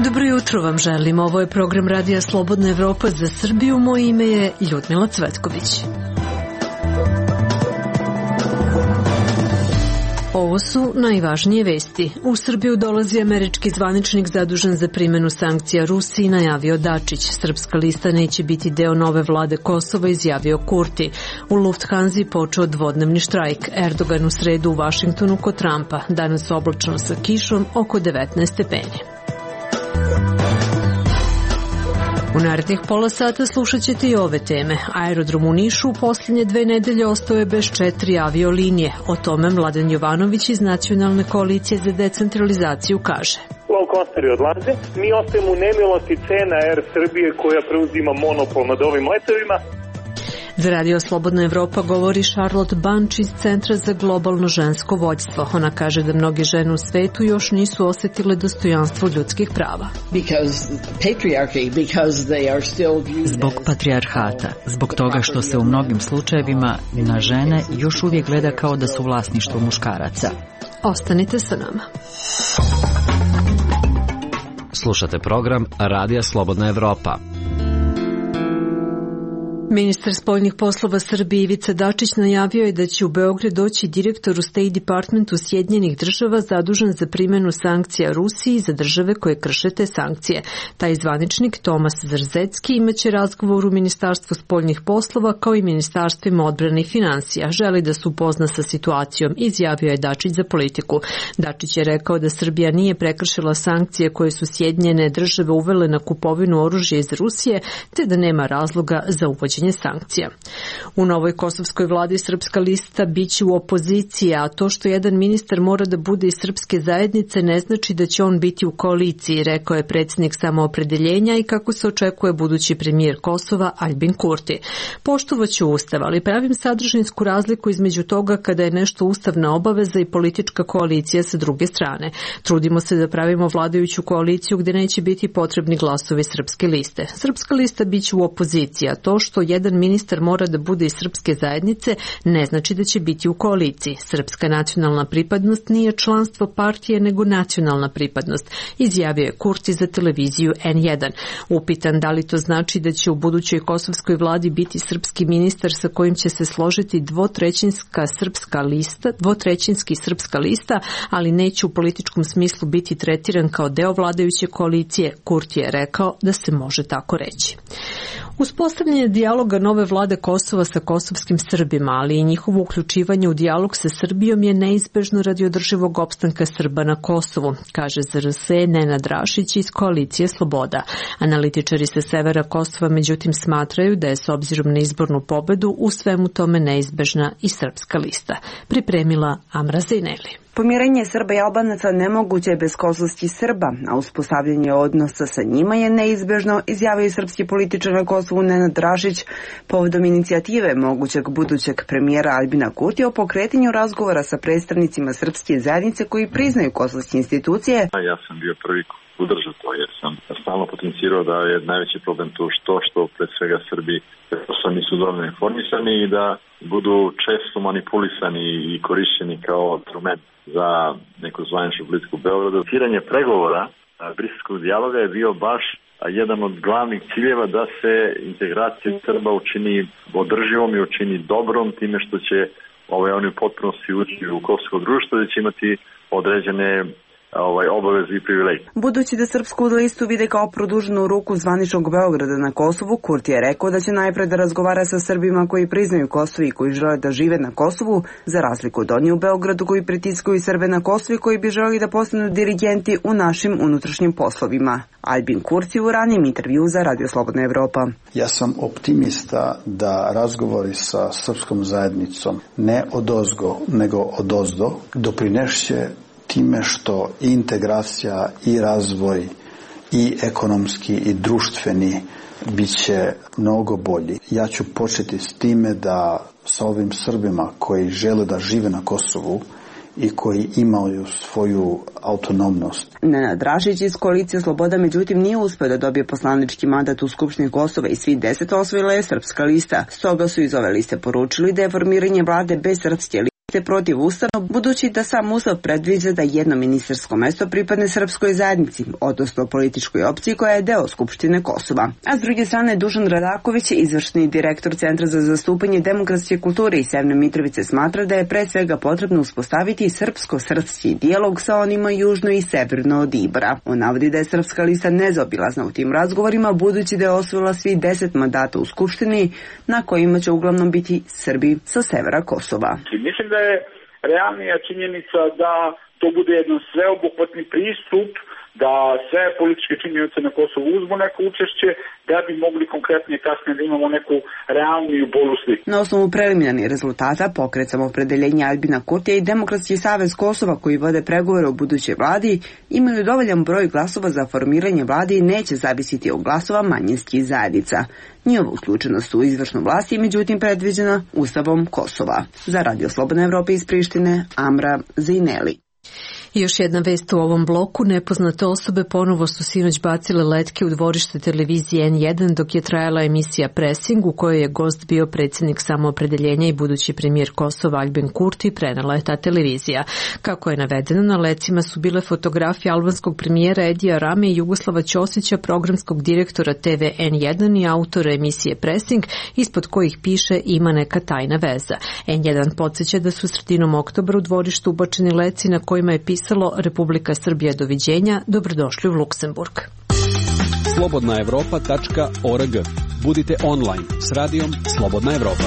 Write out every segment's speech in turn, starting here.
Dobro jutro vam želim. Ovo je program Radija Slobodna Evropa za Srbiju. Moje ime je Ljudmila Cvetković. Ovo su najvažnije vesti. U Srbiju dolazi američki zvaničnik zadužen za primjenu sankcija Rusiji, najavio Dačić. Srpska lista neće biti deo nove vlade Kosova, izjavio Kurti. U Lufthansi počeo dvodnevni štrajk. Erdogan u sredu u Vašingtonu kod Trumpa. Danas oblačno sa kišom, oko 19 stepeni. U narednih pola sata slušat ćete i ove teme. Aerodrom u Nišu u posljednje 2 nedelje ostao je bez 4 aviolinije. O tome Mladen Jovanović iz Nacionalne koalicije za decentralizaciju kaže. Low-costeri odlaze, mi ostajemo u nemilosti cena Air Srbije koja preuzima monopol nad ovim letovima. Za Radio Slobodna Evropa govori Charlotte Bunch iz Centra za globalno žensko vođstvo. Ona kaže da mnoge žene u svetu još nisu osjetile dostojanstvo ljudskih prava. Zbog patrijarhata, zbog toga što se u mnogim slučajevima na žene još uvijek gleda kao da su vlasništvo muškaraca. Ostanite sa nama. Slušate program Radija Slobodna Evropa. Ministar spoljnih poslova Srbije Ivica Dačić najavio je da će u Beograd doći direktor u State Departmentu Sjedinjenih država zadužen za primjenu sankcija Rusiji za države koje krše te sankcije. Taj zvaničnik Tomas Zrzecki imaće razgovor u Ministarstvu spoljnih poslova kao i Ministarstvima odbrane i financija. Želi da se upozna sa situacijom, izjavio je Dačić za Politiku. Dačić je rekao da Srbija nije prekršila sankcije koje su Sjedinjene države uvele na kupovinu oružja iz Rusije, te da nema razloga za uvođenje sankcija. U novoj kosovskoj vladi Srpska lista biće u opoziciji, a to što jedan ministar mora da bude iz srpske zajednice ne znači da će on biti u koaliciji, rekao je predsjednik Samoopredeljenja i kako se očekuje budući premijer Kosova Aljbin Kurti. Poštovaću ustav, ali pravim sadržinsku razliku između toga kada je nešto ustavna obaveza i politička koalicija sa druge strane. Trudimo se da pravimo vladajuću koaliciju gdje neće biti potrebni glasovi Srpske liste. Srpska lista biće u opoziciji, a to što jedan ministar mora da bude iz srpske zajednice ne znači da će biti u koaliciji. Srpska nacionalna pripadnost nije članstvo partije nego nacionalna pripadnost, izjavio je Kurti za televiziju N1. Upitan da li to znači da će u budućoj kosovskoj vladi biti srpski ministar sa kojim će se složiti dvotrećinski srpska lista, ali neće u političkom smislu biti tretiran kao deo vladajuće koalicije, Kurti je rekao da se može tako reći. Uspostavljanje dijaloga nove vlade Kosova sa kosovskim Srbima, ali i njihovo uključivanje u dijalog sa Srbijom je neizbežno radi održivog opstanka Srba na Kosovu, kaže ZRS Nenad Rašić iz koalicije Sloboda. Analitičari sa severa Kosova međutim smatraju da je s obzirom na izbornu pobedu u svemu tome neizbežna i Srpska lista. Pripremila Amra Zejneli. Pomirenje Srba i Albanaca nemoguće je bez kosovskih Srba, a uspostavljanje odnosa sa njima je neizbežno, izjavio srpski političar na Kosovu Nenad Rašić povodom inicijative mogućeg budućeg premijera Aljbina Kurtija o pokretanju razgovora sa predstavnicima srpske zajednice koji priznaju kosovske institucije. Ja sam bio prvi podržao to jer sam stalno potencirao da je najveći problem to što pred svega Srbi nisu dovoljno informisani i da budu često manipulisani i korišćeni kao instrument za neku zvaničnu politiku Beograda. Tiranje pregovora briselskog dijaloga je bio baš jedan od glavnih ciljeva da se integracija Srba učini održivom i učini dobrom time što će oni u potpunosti ući u kosovsko društvo da će imati određene obaveze i privilegije. Budući da Srpsku listu vide kao produženu ruku zvaničnog Beograda na Kosovu, Kurti je rekao da će najpre da razgovara sa Srbima koji priznaju Kosovo i koji žele da žive na Kosovu, za razliku od onih u Beogradu koji pritiskaju Srbe na Kosovu i koji bi želi da postanu dirigenti u našim unutrašnjim poslovima. Aljbin Kurti u ranijem intervju za Radio Slobodna Evropa. Ja sam optimista da razgovori sa srpskom zajednicom ne odozgo, nego odozdo doprinešće time što i integracija i razvoj i ekonomski i društveni bit će mnogo bolji. Ja ću početi s time da sa ovim Srbima koji žele da žive na Kosovu i koji imaju svoju autonomnost. Nenad Rašić iz koalicije Sloboda međutim nije uspeo da dobije poslanički mandat u Skupštini Kosova i svih 10 osvojila je Srpska lista. Stoga su iz ove liste poručili da je formiranje vlade bez srpske liste protivustavno, budući da sam Ustav predviđa da jedno ministarsko mesto pripadne srpskoj zajednici, odnosno političkoj opciji koja je deo Skupštine Kosova. A s druge strane, Dušan Radaković, izvršni direktor Centra za zastupanje demokratske kulture iz Severne Mitrovice, smatra da je pre svega potrebno uspostaviti srpsko-srpski dijalog sa onima južno i severno od Ibra. On navodi da je Srpska lista nezaobilazna u tim razgovorima, budući da je osvojila svih 10 mandata u Skupštini, na kojima će uglavnom biti Srbi sa severa Kosova. Mislim da je realnija činjenica da to bude jedan sveobuhvatni pristup, da sve političke činjenice na Kosovu uzmu neko učešće, da bi mogli konkretnije kasnije da imamo neku realniju bolu sliku. Na osnovu preliminarnih rezultata Pokret Samoopredjeljenja Aljbina Kurtija i Demokratski savez Kosova, koji vode pregovore o budućoj vladi, imaju dovoljan broj glasova za formiranje vlade i neće zavisiti od glasova manjinskih zajednica. Njihova uključenost u izvršnu vlast je međutim predviđena Ustavom Kosova. Za Radio Slobodna Evropa iz Prištine, Amra Zejneli. I još jedna vest u ovom bloku. Nepoznate osobe ponovo su sinoć bacile letke u dvorište televizije N1 dok je trajala emisija Pressing, u kojoj je gost bio predsjednik Samoopredjeljenja i budući premijer Kosova Aljbin Kurti, prenela je ta televizija. Kako je navedeno, na lecima su bile fotografije albanskog premijera Edija Rame i Jugoslava Ćosića, programskog direktora TV N1 i autora emisije Pressing, ispod kojih piše ima neka tajna veza. N1 podsjeća da su sredinom oktobra u dvorištu ubačeni leci na kojima je pisalo Republika Srbija doviđenja, dobrodošli u Luksemburg. Slobodnaevropa.org. Budite online s radijom Slobodna Evropa.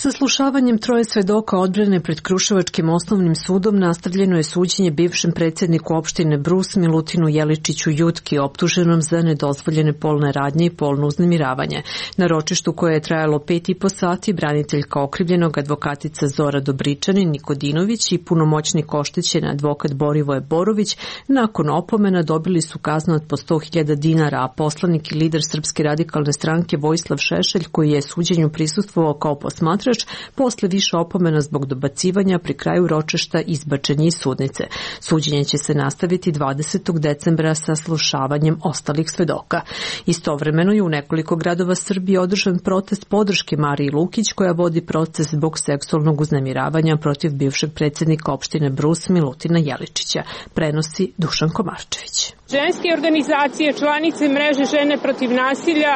Saslušavanjem troje svedoka odbrane pred Kruševačkim osnovnim sudom nastavljeno je suđenje bivšem predsjedniku opštine Brus Milutinu Jeličiću Jutki, optuženom za nedozvoljene polne radnje i polno uznemiravanje. Na ročištu koje je trajalo 5,5 sati, braniteljka okrivljenog, advokatica Zora Dobričanin Nikodinović i punomoćnik oštećen advokat Borivoje Borović nakon opomena dobili su kaznu od po 100.000 dinara, a poslanik i lider Srpske radikalne stranke Vojislav Šešelj, koji je suđenju prisustvovao kao posmatrač, posle više opomena zbog dobacivanja pri kraju ročišta izbačen je iz sudnice. Suđenje će se nastaviti 20. decembra sa slušavanjem ostalih svedoka. Istovremeno je u nekoliko gradova Srbije održan protest podrške Mariji Lukić, koja vodi proces zbog seksualnog uznemiravanja protiv bivšeg predsjednika opštine Brus Milutina Jeličića. Prenosi Dušan Komarčević. Ženske organizacije, članice mreže Žene protiv nasilja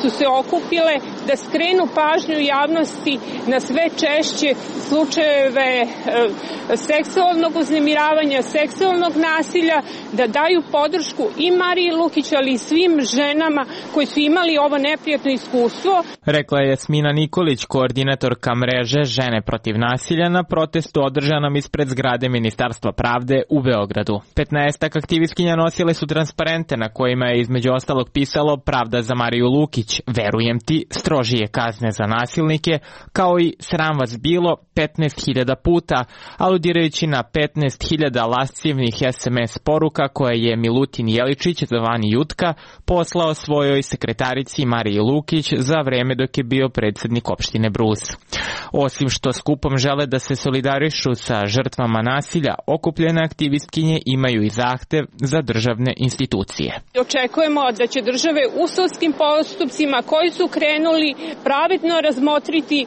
su se okupile da skrenu pažnju javnosti na sve češće slučajeve seksualnog uznemiravanja, seksualnog nasilja, da daju podršku i Mariji Lukić, ali i svim ženama koji su imali ovo neprijatno iskustvo. Rekla je Jasmina Nikolić, koordinatorka mreže Žene protiv nasilja na protestu održanom ispred zgrade Ministarstva pravde u Beogradu. 15 aktivistkinja nosile su transparente na kojima je između ostalog pisalo Pravda za Mariju Lukić, verujem ti, strožije kazne za nasilnike, kao i sram vas bilo 15.000 puta, aludirajući na 15.000 lascivnih SMS poruka koje je Milutin Jeličić, zvani Jutka, poslao svojoj sekretarici Mariji Lukić za vreme dok je bio predsjednik opštine Brus. Osim što skupom žele da se solidarišu sa žrtvama nasilja, okupljene aktivistkinje imaju i zahtev za državne institucije. Očekujemo da će države u sudskim postupcima koji su krenuli pravedno razmotriti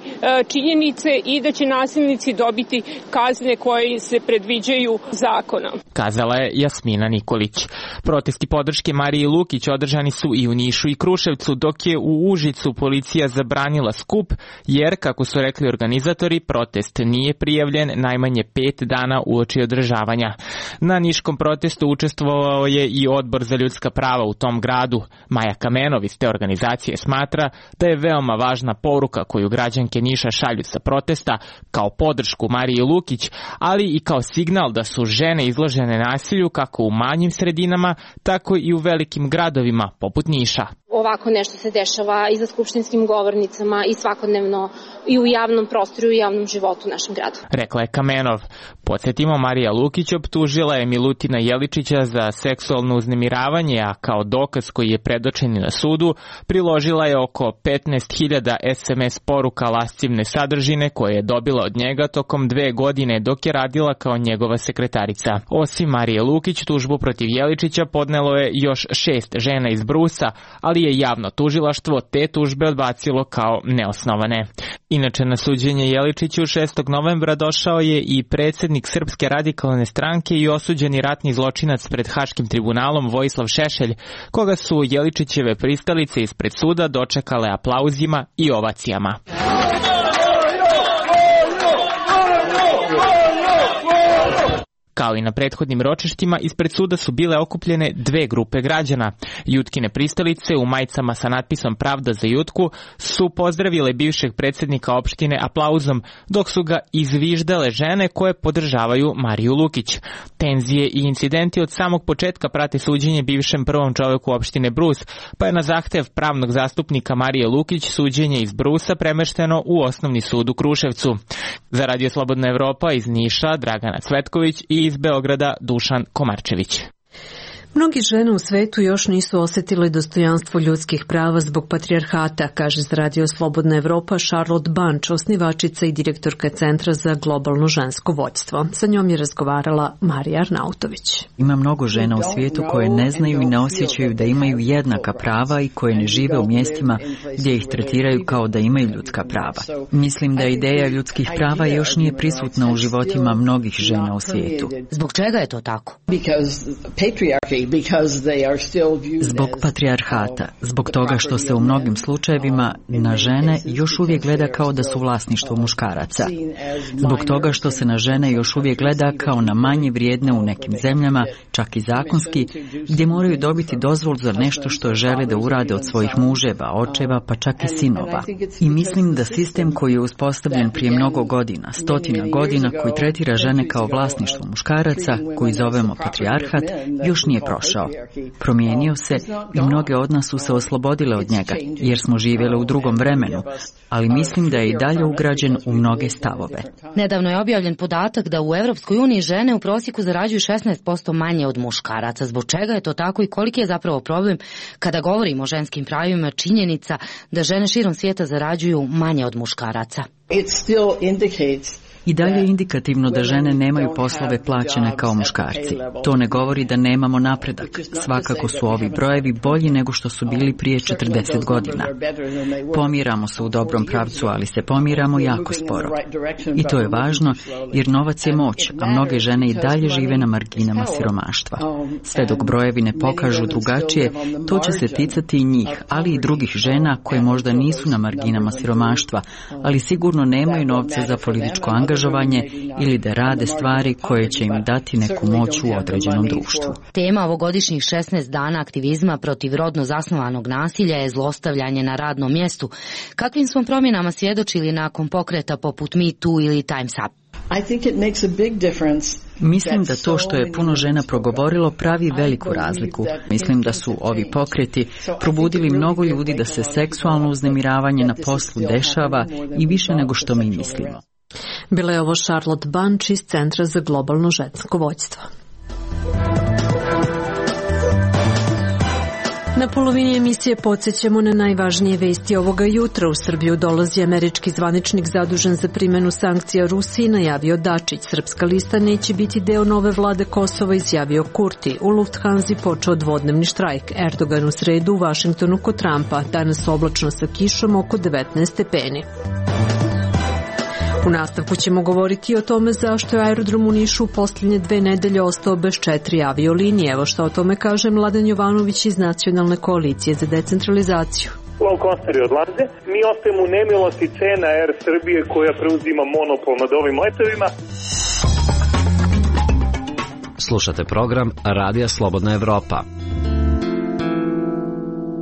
činjenice i da će nasilnici dobiti kazne koje se predviđaju zakonom. Kazala je Jasmina Nikolić. Protesti podrške Mariji Lukić održani su i u Nišu i Kruševcu, dok je u Užicu policija zabranila skup, jer, kako su rekli organizatori, protest nije prijavljen najmanje 5 dana uoči održavanja. Na niškom protestu učestvovao je i Odbor za ljudska prava u tom gradu. Maja Kamenov iz te organizacije smatra da je veoma važna poruka koju građanke Niša šalju sa protesta kao podršku Mariji Lukić, ali i kao signal da su žene izložene nasilju kako u manjim sredinama, tako i u velikim gradovima poput Niša. ovako nešto se dešava i za skupštinskim govornicama i svakodnevno i u javnom prostoru i u javnom životu u našem gradu. Rekla je Kamenov. Podsjetimo, Marija Lukić optužila je Milutina Jeličića za seksualno uznemiravanje, a kao dokaz koji je predočen na sudu priložila je oko 15.000 SMS poruka lascivne sadržine koje je dobila od njega tokom 2 godine dok je radila kao njegova sekretarica. Osim Marije Lukić, tužbu protiv Jeličića podnelo je još 6 žena iz Brusa, ali je javno tužilaštvo te tužbe odbacilo kao neosnovane. Inače, na suđenje Jeličiću 6. novembra došao je i predsjednik Srpske radikalne stranke i osuđeni ratni zločinac pred Haškim tribunalom Vojislav Šešelj, koga su Jeličićeve pristalice ispred suda dočekale aplauzima i ovacijama. Kao i na prethodnim ročištima, ispred suda su bile okupljene 2 grupe građana. Jutkine pristalice u majicama sa natpisom Pravda za Jutku su pozdravile bivšeg predsjednika opštine aplauzom, dok su ga izviždale žene koje podržavaju Mariju Lukić. Tenzije i incidenti od samog početka prate suđenje bivšem prvom čoveku opštine Brus, pa je na zahtev pravnog zastupnika Marije Lukić suđenje iz Brusa premešteno u Osnovni sud u Kruševcu. Za Radio Slobodna Evropa iz Niša Dragana Cvetković i iz Beograda Dušan Komarčević. Mnogi žene u svetu još nisu osjetile dostojanstvo ljudskih prava zbog patrijarhata, kaže za Radio Slobodna Evropa Charlotte Bunch, osnivačica i direktorka Centra za globalno žensko vođstvo. Sa njom je razgovarala Marija Arnautović. Ima mnogo žena u svijetu koje ne znaju i ne osjećaju da imaju jednaka prava i koje ne žive u mjestima gdje ih tretiraju kao da imaju ljudska prava. Mislim da ideja ljudskih prava još nije prisutna u životima mnogih žena u svijetu. Zbog čega je to tako? Zbog patrijarhata, zbog toga što se u mnogim slučajevima na žene još uvijek gleda kao da su vlasništvo muškaraca. Zbog toga što se na žene još uvijek gleda kao na manje vrijedne u nekim zemljama, čak i zakonski, gdje moraju dobiti dozvolu za nešto što žele da urade od svojih muževa, očeva, pa čak i sinova. I mislim da sistem koji je uspostavljen prije mnogo godina, stotina godina, koji tretira žene kao vlasništvo muškaraca, koji zovemo patrijarhat, još nije prošao. Promijenio se i mnoge od nas su se oslobodile od njega, jer smo živjeli u drugom vremenu, ali mislim da je i dalje ugrađen u mnoge stavove. Nedavno je objavljen podatak da u Europskoj uniji žene u prosjeku zarađuju 16% manje od muškaraca. Zbog čega je to tako i koliki je zapravo problem kada govorimo o ženskim pravima činjenica da žene širom svijeta zarađuju manje od muškaraca? I dalje je indikativno da žene nemaju poslove plaćene kao muškarci. To ne govori da nemamo napredak. Svakako su ovi brojevi bolji nego što su bili prije 40 godina. Pomiramo se u dobrom pravcu, ali se pomiramo jako sporo. I to je važno jer novac je moć, a mnoge žene i dalje žive na marginama siromaštva. Sve dok brojevi ne pokažu drugačije, to će se ticati i njih, ali i drugih žena koje možda nisu na marginama siromaštva, ali sigurno nemaju novca za političko angažovanje ili da rade stvari koje će im dati neku moć u određenom društvu. Tema ovogodišnjih 16 dana aktivizma protiv rodno zasnovanog nasilja je zlostavljanje na radnom mjestu. Kakvim smo promjenama svjedočili nakon pokreta poput Me Too ili Time's Up? Mislim da to što je puno žena progovorilo pravi veliku razliku. Mislim da su ovi pokreti probudili mnogo ljudi da se seksualno uznemiravanje na poslu dešava i više nego što mi mislimo. Bila je ovo Charlotte Bunch iz Centra za globalno žensko vođstvo. Na polovini emisije podsjećamo na najvažnije vesti ovoga jutra. U Srbiju dolazi američki zvaničnik zadužen za primjenu sankcija Rusiji, najavio Dačić. Srpska lista neće biti deo nove vlade Kosova, izjavio Kurti. U Lufthansi počeo dvodnevni štrajk. Erdogan u sredu u Vašingtonu kod Trumpa. Danas oblačno sa kišom oko 19 stepeni. U nastavku ćemo govoriti o tome zašto je aerodrom u Nišu u posljednje 2 nedelje ostao bez 4 aviolinije. Evo što o tome kaže Mladen Jovanović iz Nacionalne koalicije za decentralizaciju. Low costeri odlaze, mi ostajemo u nemilosti cena Air Srbije koja preuzima monopol nad ovim letovima. Slušate program Radija Slobodna Evropa.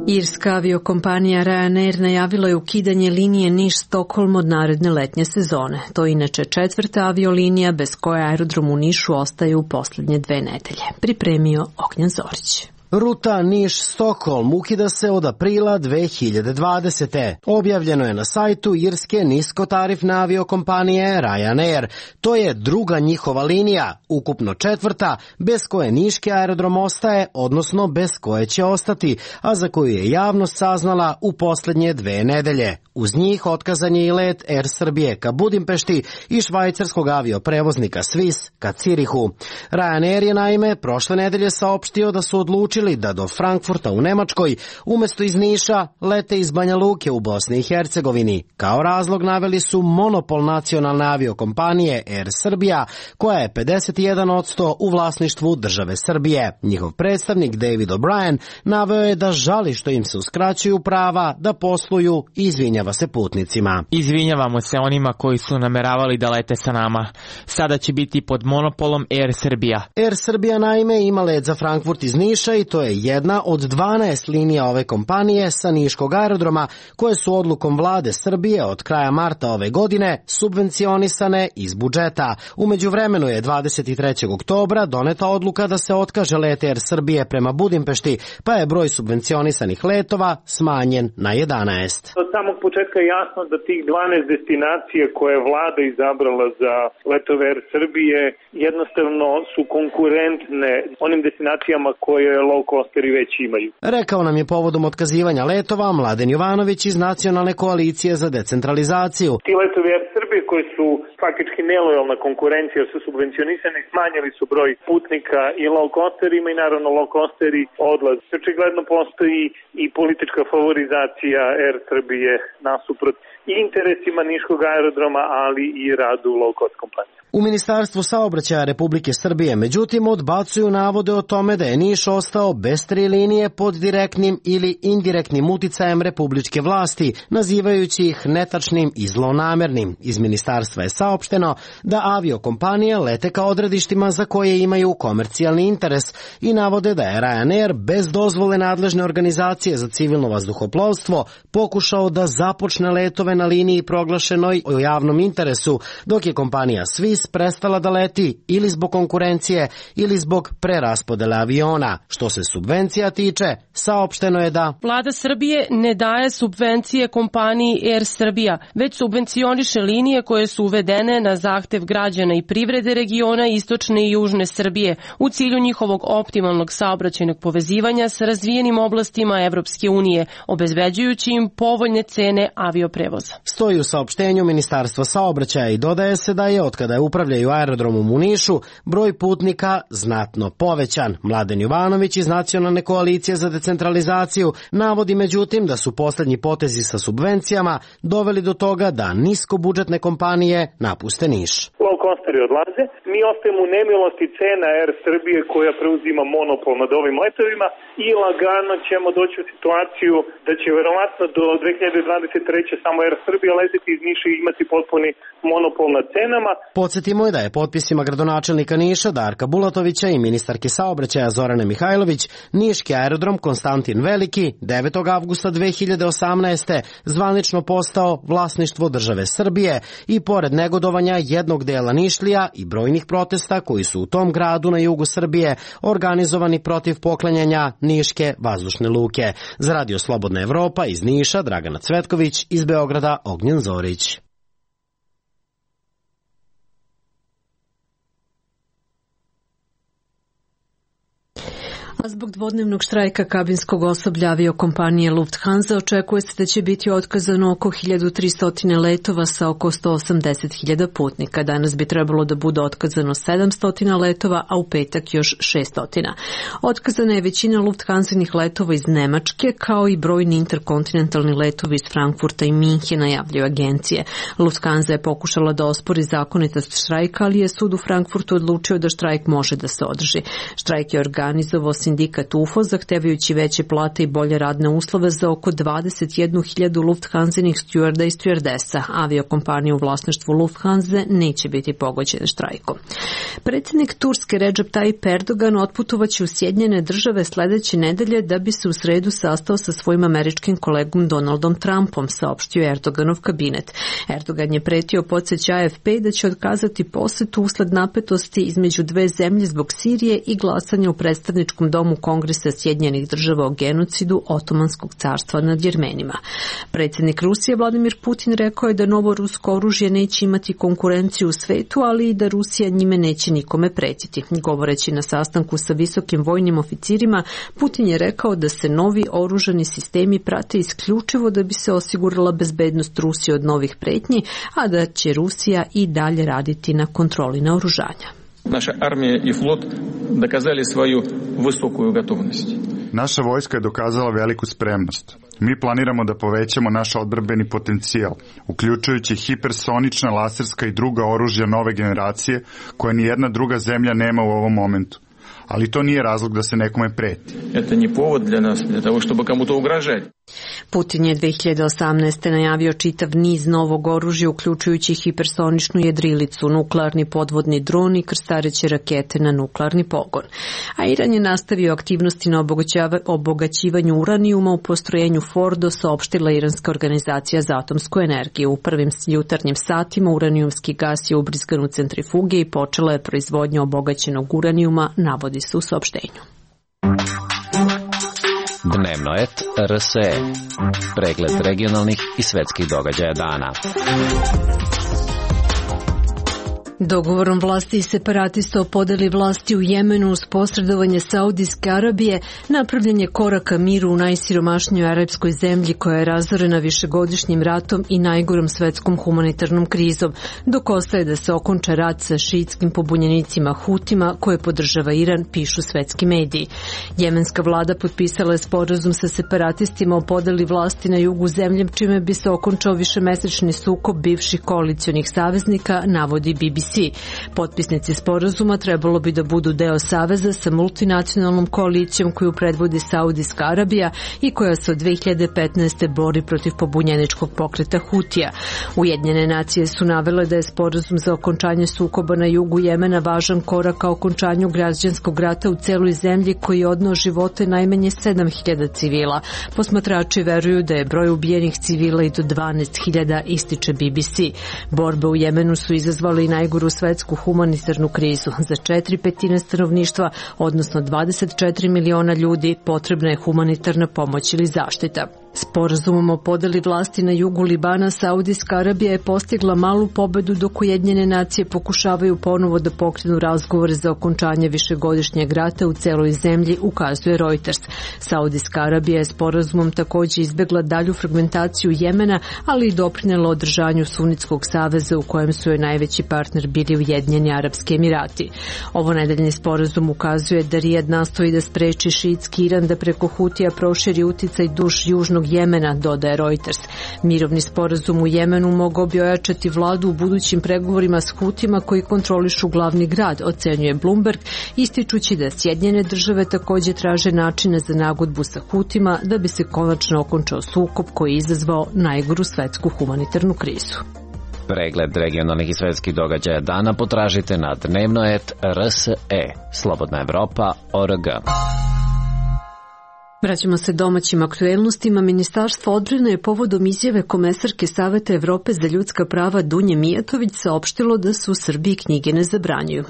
Irska aviokompanija Ryanair najavila je ukidanje linije Niš-Stokholm od naredne letnje sezone. To je inače 4. aviolinija bez koje aerodrom u Nišu ostaje u posljednje 2 nedelje. Pripremio Ognjen Zorić. Ruta Niš-Stokholm ukida se od aprila 2020. Objavljeno je na sajtu irske niskotarifne aviokompanije Ryanair. To je druga njihova linija, ukupno četvrta, bez koje niški aerodrom ostaje, odnosno bez koje će ostati, a za koju je javnost saznala u poslednje 2 nedelje. Uz njih otkazan je i let Air Srbije ka Budimpešti i švajcarskog avioprevoznika Swiss ka Cirihu. Ryanair je naime prošle nedelje saopštio da su odlučili da do Frankfurta u Nemačkoj umesto iz Niša lete iz Banja Luke u Bosni i Hercegovini. Kao razlog naveli su monopol nacionalne aviokompanije Air Srbija, koja je 51% u vlasništvu države Srbije. Njihov predstavnik David O'Brien naveo je da žali što im se uskraćuju prava da posluju i izvinjava se putnicima. Izvinjavamo se onima koji su nameravali da lete sa nama. Sada će biti pod monopolom Air Srbija. Air Srbija naime ima let za Frankfurt iz Niša i to je jedna od 12 linija ove kompanije sa niškog aerodroma koje su odlukom vlade Srbije od kraja marta ove godine subvencionisane iz budžeta. U međuvremenu je 23. oktobra doneta odluka da se otkaže let Air Srbije prema Budimpešti, pa je broj subvencionisanih letova smanjen na 11. Od samog početka je jasno da tih 12 destinacija koje je vlada izabrala za letove Air Srbije jednostavno su konkurentne onim destinacijama koje low costeri već imaju. Rekao nam je povodom otkazivanja letova Mladen Jovanović iz Nacionalne koalicije za decentralizaciju. Ti letovi Air Srbije koji su faktički nelojalna konkurencija, su subvencionisani, smanjili su broj putnika i low costerima i naravno low costeri odlaze. Očigledno postoji i politička favorizacija Air Srbije nasuprot i interesima niškog aerodroma, ali i radu low cost kompanija. U Ministarstvu saobraćaja Republike Srbije, međutim, odbacuju navode o tome da je Niš ostao bez 3 linije pod direktnim ili indirektnim uticajem republičke vlasti, nazivajući ih netačnim i zlonamernim. Iz ministarstva je saopšteno da aviokompanije lete ka odredištima za koje imaju komercijalni interes i navode da je Ryanair bez dozvole nadležne organizacije za civilno vazduhoplovstvo pokušao da započne letove na liniji proglašenoj o javnom interesu, dok je kompanija Swiss prestala da leti ili zbog konkurencije ili zbog preraspodele aviona. Što se subvencija tiče, saopšteno je da Vlada Srbije ne daje subvencije kompaniji Air Srbija, već subvencioniše linije koje su uvedene na zahtev građana i privrede regiona istočne i južne Srbije u cilju njihovog optimalnog saobraćajnog povezivanja sa razvijenim oblastima Evropske unije, obezbeđujući im povoljne cene avioprevoza. Stoji u saopštenju Ministarstva saobraćaja i dodaje se da je otkada je upravljaju aerodromom u Nišu broj putnika znatno povećan. Mladen Jovanović iz Nacionalne koalicije za decentralizaciju navodi međutim da su poslednji potezi sa subvencijama doveli do toga da niskobudžetne kompanije napuste Niš. Low costeri odlaze, mi ostajemo u nemilosti cena Air Srbije koja preuzima monopol nad ovim letovima i lagano ćemo doći u situaciju da će verovatno do 2023. samo Air Srbija leteti iz Niša i imati potpuni monopol nad cenama. Podsjetimo je da je potpisima gradonačelnika Niša Darka Bulatovića i ministarke saobraćaja Zorane Mihajlović niški aerodrom Konstantin Veliki 9. avgusta 2018. zvanično postao vlasništvo države Srbije i pored negodovanja jednog dela Nišlija i brojnih protesta koji su u tom gradu na jugu Srbije organizovani protiv poklanjanja niške vazdušne luke. Za Radio Slobodna Evropa iz Niša Dragana Cvetković, iz Beograda Ognjen Zorić. A zbog dvodnevnog štrajka kabinskog osoblja aviokompanije Lufthansa očekuje se da će biti otkazano oko 1300 letova sa oko 180.000 putnika. Danas bi trebalo da bude otkazano 700 letova, a u petak još 600. Otkazana je većina Lufthansinih letova iz Nemačke, kao i brojni interkontinentalni letovi iz Frankfurta i Minhena, javljaju agencije. Lufthansa je pokušala da ospori zakonitost štrajka, ali je sud u Frankfurtu odlučio da štrajk može da se održi. Štrajk je organizovao sindikat UFO, zahtevajući veće plate i bolje radne uslove za oko 21.000 Lufthansinih stjuarda i stjuardesa. Aviokompanije u vlasništvu Lufthansa neće biti pogođene štrajkom. Predsjednik Turske Recep Tayyip Erdogan otputovaće u Sjedinjene Države sledeće nedelje da bi se u sredu sastao sa svojim američkim kolegom Donaldom Trumpom, saopštio Erdoganov kabinet. Erdogan je pretio, podsjeća AFP, da će otkazati posetu usled napetosti između dve zemlje zbog Sirije i glasanja u predstavničkom domu Domu Kongresa Sjedinjenih država o genocidu Otomanskog carstva nad Jermenima. Predsjednik Rusije Vladimir Putin rekao je da novo rusko oružje neće imati konkurenciju u svetu, ali i da Rusija njime neće nikome pretiti. Govoreći na sastanku sa visokim vojnim oficirima, Putin je rekao da se novi oružani sistemi prate isključivo da bi se osigurala bezbednost Rusije od novih pretnji, a da će Rusija i dalje raditi na kontroli naoružanja. Naša armija i flot dokazali svoju visoku gotovnost. Naša vojska je dokazala veliku spremnost. Mi planiramo da povećamo naš odbrambeni potencijal, uključujući hipersonična, laserska i druga oružja nove generacije koje ni jedna druga zemlja nema u ovom momentu. Ali to nije razlog da se nekome preti. To nije povod для нас, для того, чтобы кому-то угрожать. Putin je 2018. najavio čitav niz novog oružja, uključujući hipersoničnu jedrilicu, nuklearni podvodni dron i krstareće rakete na nuklearni pogon. A Iran je nastavio aktivnosti na obogaćivanju uranijuma u postrojenju Fordo, saopštila Iranska organizacija za atomsku energiju. U prvim jutarnjim satima uranijumski gas je ubrizgan u centrifuge i počela je proizvodnja obogaćenog uranijuma, navodi se u saopštenju. Dnevno et RSE. Pregled regionalnih i svetskih događaja dana. Dogovorom vlasti i separatista o podeli vlasti u Jemenu uz posredovanje Saudijske Arabije napravljen je korak ka miru u najsiromašnijoj arapskoj zemlji koja je razorena višegodišnjim ratom i najgorom svetskom humanitarnom krizom, dok ostaje da se okonča rat sa šiitskim pobunjenicima Hutima koje podržava Iran, pišu svetski mediji. Jemenska vlada potpisala je sporazum sa separatistima o podeli vlasti na jugu zemlje, čime bi se okončao višemesečni sukob bivših koalicionih saveznika, navodi BBC. Potpisnici sporazuma trebalo bi da budu deo saveza sa multinacionalnom koalicijom koju predvodi Saudijska Arabija i koja se od 2015. bori protiv pobunjeničkog pokreta Hutija. Ujedinjene nacije su navele da je sporazum za okončanje sukoba na jugu Jemena važan korak ka okončanju građanskog rata u celoj zemlji koji je odneo živote najmanje 7.000 civila. Posmatrači veruju da je broj ubijenih civila i do 12.000, ističe BBC. Borbe u Jemenu su izazvale i najgoru svetsku humanitarnu krizu. Za 4/5 stanovništva, odnosno 24 miliona ljudi, potrebna je humanitarna pomoć ili zaštita. Sporazumom o podeli vlasti na jugu Libana, Saudijska Arabija je postigla malu pobedu dok Ujedinjene nacije pokušavaju ponovo da pokrenu razgovore za okončanje višegodišnjeg rata u celoj zemlji, ukazuje Reuters. Saudijska Arabija je sporazumom takođe izbegla dalju fragmentaciju Jemena, ali i doprinela održanju Sunitskog saveza u kojem su joj najveći partner bili Ujedinjeni Arapski Emirati. Ovo nedeljni sporazum ukazuje da Rijad nastoji da spreči šiitski Iran da preko Hutija proširi uticaj duž južnog Jemena, dodaje Reuters. Mirovni sporazum u Jemenu mogao bi ojačati vladu u budućim pregovorima s Hutima koji kontrolišu glavni grad, ocenjuje Bloomberg, ističući da Sjedinjene države takođe traže načine za nagodbu sa Hutima da bi se konačno okončao sukob koji je izazvao najgoru svetsku humanitarnu krizu. Pregled regionalnih i svetskih događaja dana potražite na dnevno.rs.e. Slobodna Evropa.org. Vraćamo se domaćim aktuelnostima. Ministarstvo odbrane je povodom izjave komesarke Saveta Evrope za ljudska prava Dunje Mijatović saopštilo da se u Srbiji knjige ne zabranjuju.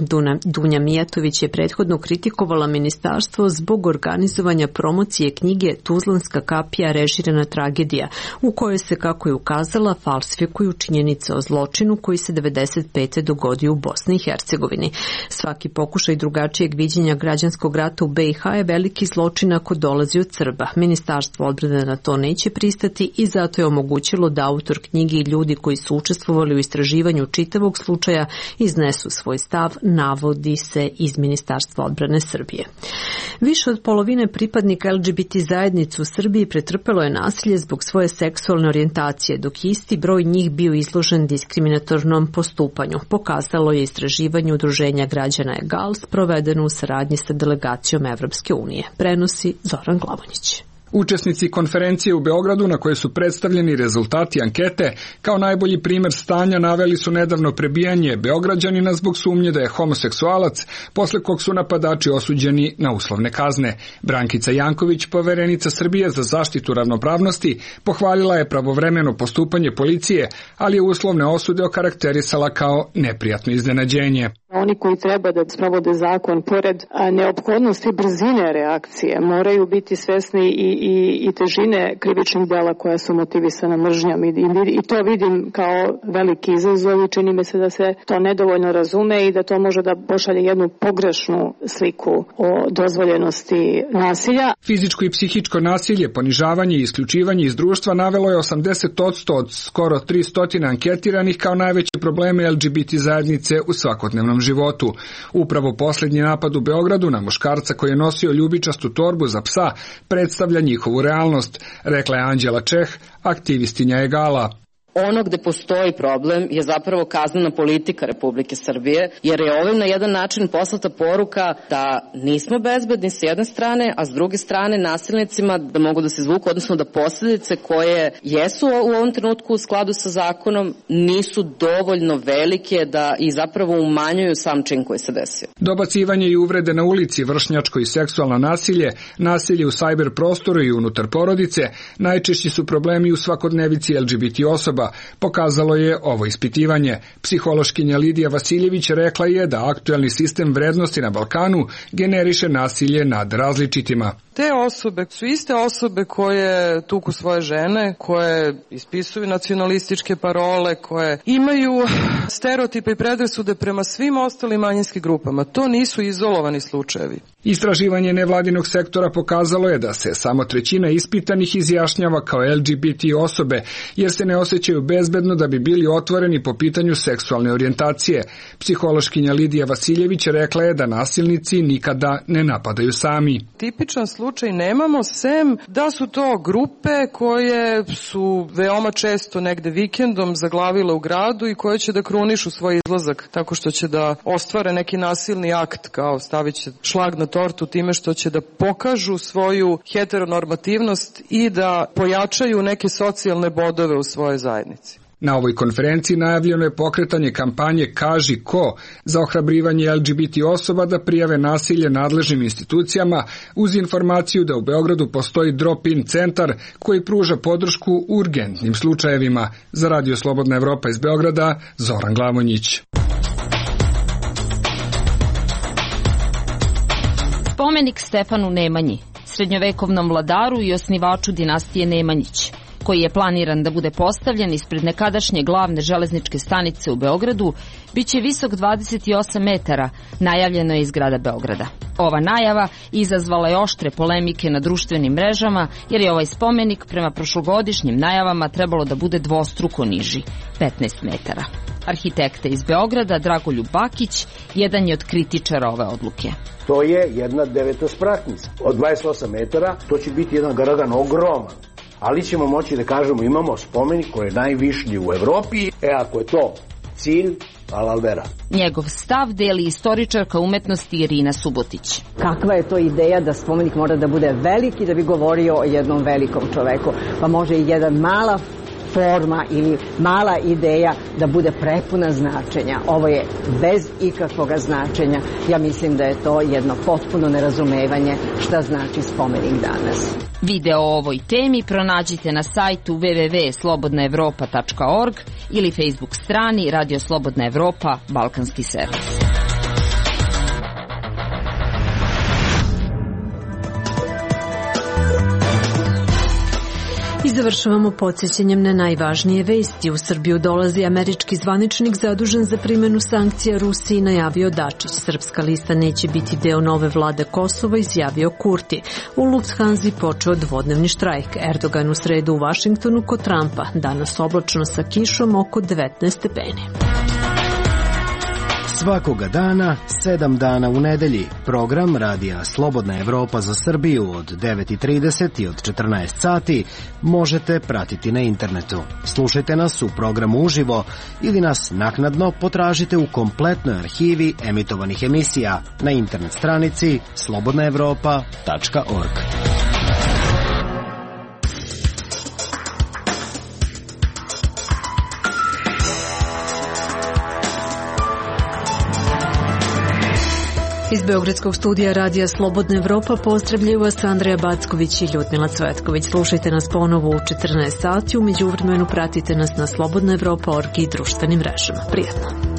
Dunja Mijatović je prethodno kritikovala ministarstvo zbog organizovanja promocije knjige Tuzlanska kapija režirana tragedija, u kojoj se, kako je ukazala, falsifikuju činjenice o zločinu koji se 95. dogodio u Bosni i Hercegovini. Svaki pokušaj drugačijeg viđenja građanskog rata u BiH je veliki zločin ako dolazi od Srba. Ministarstvo odbrane na to neće pristati i zato je omogućilo da autor knjige i ljudi koji su učestvovali u istraživanju čitavog slučaja iznesu svoj stav, navodi se iz Ministarstva odbrane Srbije. Više od polovine pripadnika LGBT zajednice u Srbiji pretrpelo je nasilje zbog svoje seksualne orijentacije, dok isti broj njih bio izložen diskriminatornom postupanju. Pokazalo je istraživanje Udruženja građana EGALS provedeno u saradnji sa delegacijom Evropske unije. Prenosi Zoran Glavonjić. Učesnici konferencije u Beogradu na kojoj su predstavljeni rezultati ankete kao najbolji primer stanja naveli su nedavno prebijanje Beograđanina zbog sumnje da je homoseksualac, posle kog su napadači osuđeni na uslovne kazne. Brankica Janković, poverenica Srbije za zaštitu ravnopravnosti, pohvalila je pravovremeno postupanje policije, ali je uslovne osude okarakterisala kao neprijatno iznenađenje. Oni koji treba da sprovode zakon, pored neophodnosti brzine reakcije, moraju biti svesni i težine krivičnih dela koja su motivisana mržnjom i to vidim kao veliki izazov i čini mi se da se to nedovoljno razume i da to može da pošalje jednu pogrešnu sliku o dozvoljenosti nasilja. Fizičko i psihičko nasilje, ponižavanje i isključivanje iz društva navelo je 80% od skoro 300 anketiranih kao najveće probleme LGBT zajednice u svakodnevnom životu. Upravo posljednji napad u Beogradu na muškarca koji je nosio ljubičastu torbu za psa predstavlja njihovu realnost, rekla je Anđela Čeh, aktivistinja Egala. Ono gde postoji problem je zapravo kaznena politika Republike Srbije, jer je ovim na jedan način poslata poruka da nismo bezbedni s jedne strane, a s druge strane nasilnicima da mogu da se izvuku, odnosno da posljedice koje jesu u ovom trenutku u skladu sa zakonom nisu dovoljno velike da i zapravo umanjuju sam čin koji se desio. Dobacivanje i uvrede na ulici, vršnjačko i seksualno nasilje, nasilje u sajber prostoru i unutar porodice, najčešći su problemi u svakodnevici LGBT osoba, pokazalo je ovo ispitivanje. Psihološkinja Lidija Vasiljević rekla je da aktuelni sistem vrednosti na Balkanu generiše nasilje nad različitima. Te osobe su iste osobe koje tuku svoje žene, koje ispisuju nacionalističke parole, koje imaju stereotipe i predrasude prema svim ostalim manjinskim grupama. To nisu izolovani slučajevi. Istraživanje nevladinog sektora pokazalo je da se samo 1/3 ispitanih izjašnjava kao LGBT osobe, jer se ne osjećaju bezbedno da bi bili otvoreni po pitanju seksualne orijentacije. Psihološkinja Lidija Vasiljević rekla je da nasilnici nikada ne napadaju sami. Tipičan slučaj nemamo, sem da su to grupe koje su veoma često negde vikendom zaglavile u gradu i koje će da krunišu svoj izlazak tako što će da ostvare neki nasilni akt, kao stavit će šlag na tortu time što će da pokažu svoju heteronormativnost i da pojačaju neke socijalne bodove u svojoj zajednici. Na ovoj konferenciji najavljeno je pokretanje kampanje Kaži ko za ohrabrivanje LGBT osoba da prijave nasilje nadležnim institucijama uz informaciju da u Beogradu postoji drop-in centar koji pruža podršku u urgentnim slučajevima. Za Radio Slobodna Evropa iz Beograda, Zoran Glavonjić. Spomenik Stefanu Nemanji, srednjovekovnom vladaru i osnivaču dinastije Nemanjić, koji je planiran da bude postavljen ispred nekadašnje glavne železničke stanice u Beogradu, biće visok 28 metara, najavljeno je iz grada Beograda. Ova najava izazvala je oštre polemike na društvenim mrežama, jer je ovaj spomenik prema prošlogodišnjim najavama trebalo da bude dvostruko niži, 15 metara. Arhitekta iz Beograda, Dragoljub Bakić, jedan je od kritičara ove odluke. To je jedna devetospratnica. Od 28 metara to će biti jedan garagan ogroman. Ali ćemo moći da kažemo imamo spomenik koji je najvišlji u Evropi. Ako je to cilj, alalvera. Njegov stav deli istoričarka umetnosti Irina Subotić. Kakva je to ideja da spomenik mora da bude veliki da bi govorio o jednom velikom čoveku? Pa može i jedan mala forma ili mala ideja da bude prepuna značenja. Ovo je bez ikakvog značenja. Ja mislim da je to jedno potpuno nerazumevanje šta znači spomenik danas. Video o ovoj temi pronađite na sajtu www.slobodnaevropa.org ili Facebook strani Radio Slobodna Evropa, Balkanski servis. I završavamo podsjećanjem na najvažnije vesti. U Srbiju dolazi američki zvaničnik zadužen za primjenu sankcija Rusiji, najavio Dačić. Srpska lista neće biti deo nove vlade Kosova, izjavio Kurti. U Lufthansi počeo dvodnevni štrajk. Erdogan u sredu u Vašingtonu kod Trumpa. Danas oblačno sa kišom oko 19 stepeni. Svakoga dana, 7 dana u nedelji. Program Radija Slobodna Evropa za Srbiju od 9:30 i od 14 sati možete pratiti na internetu. Slušajte nas u programu uživo ili nas naknadno potražite u kompletnoj arhivi emitovanih emisija na internet stranici slobodnaevropa.org. Iz Beogradskog studija Radija Slobodna Evropa pozdravljaju vas Andreja Backović i Ljudmila Cvetković. Slušajte nas ponovo u 14 sati, u međuvremenu pratite nas na slobodnaevropa.org i društvenim mrežama. Prijatno.